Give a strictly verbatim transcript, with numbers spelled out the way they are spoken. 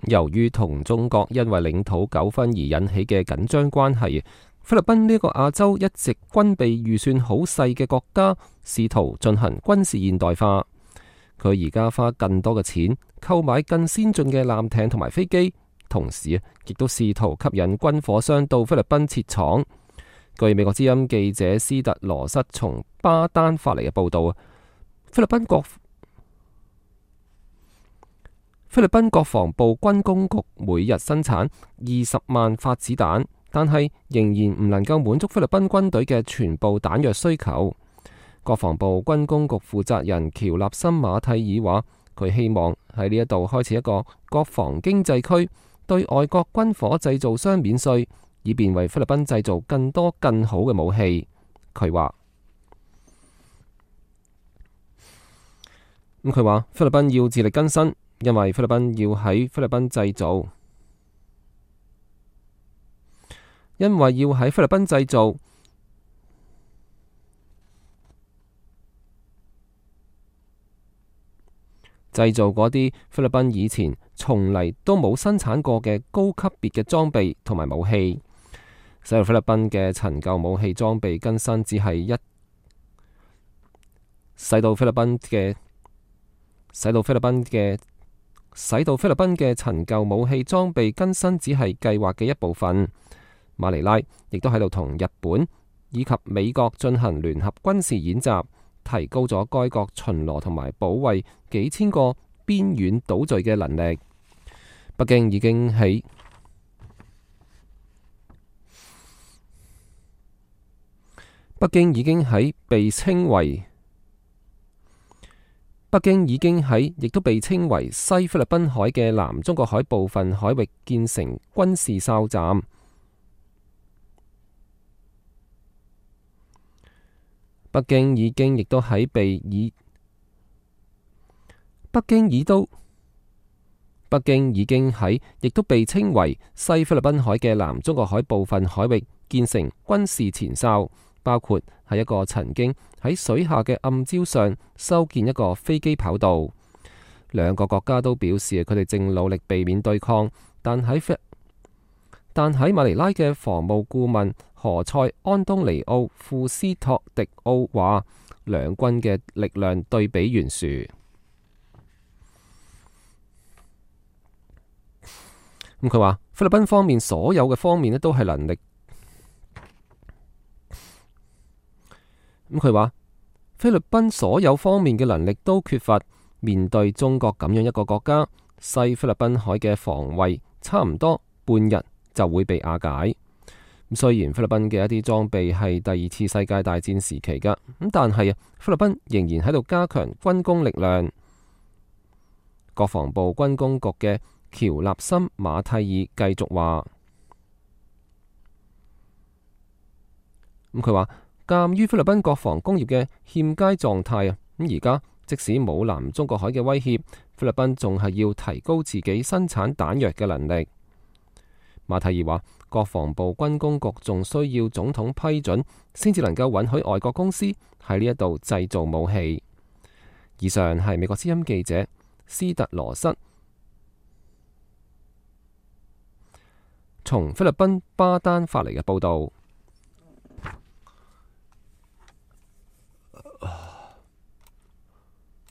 由於同中國因為領土糾紛而引起嘅緊張關係，菲律賓呢個亞洲一直軍備預算好細嘅國家，試圖進行軍事現代化。佢而家花更多嘅錢購買更先進嘅艦艇同埋飛機，同時亦都試圖吸引軍火商到菲律賓設廠。據美國之音記者斯特羅瑟從巴丹發嚟嘅報道，菲律賓國菲律賓國防部軍工局每日生產二十萬發子彈，但係仍然唔能夠滿足菲律賓軍隊嘅全部彈藥需求。國防部軍工局負責人喬納森馬蒂爾話，佢希望喺呢一度開始一個國防經濟區，對外國軍火製造商免稅，以便為菲律賓製造更多更好嘅武器。佢話，咁佢話菲律賓要自力更生。因為菲律賓要喺菲律賓製造，因為要喺菲律賓製造，製造嗰啲菲律賓以前從嚟都冇生產過嘅高級別嘅裝備同埋武器。使到菲律賓嘅陳舊武器裝備更新只係一，使到菲律賓嘅，使到菲律賓嘅。使到菲律賓嘅陳舊武器裝備更新只係計劃嘅一部分。馬尼拉亦都喺度同日本以及美國進行聯合軍事演習，提高咗該國巡邏同埋保衛幾千個邊遠島嶼嘅能力。北京已經喺北京已經喺被稱為北京已經喺亦都被稱為西菲律賓海嘅南中國海部分海域建成軍事哨站。北京已經亦都喺被以北京已都北京已經喺亦都被稱為西菲律賓海嘅南中國海部分海域建成軍事前哨，包括係一個曾經喺水下嘅暗礁上修建一個飛機跑道。兩個國家都表示佢哋正努力避免對抗，但喺但喺馬尼拉嘅防務顧問何塞安東尼奧庫斯托迪奧話，兩軍嘅力量對比懸殊。咁佢話菲律賓方面所有嘅方面咧都係能力。咁佢話菲律賓所有方面嘅能力都缺乏，面對中國咁樣一個國家，西菲律賓海嘅防衛差唔多半日就會被瓦解。咁雖然菲律賓嘅一啲裝備係第二次世界大戰時期噶，咁但係啊，菲律賓仍然喺度加強軍工力量。國防部軍工局嘅喬納森馬蒂爾繼續話，咁佢話。鑒於菲律賓國防工業嘅欠佳狀態啊，咁而家即使冇南中國海嘅威脅，菲律賓仲係要提高自己生產彈藥嘅能力。馬蒂爾話，國防部軍工局仲需要總統批准，先至能夠允許外國公司喺呢一度製造武器。以上係美國之音記者斯特羅瑟從菲律賓巴丹發嚟嘅報道。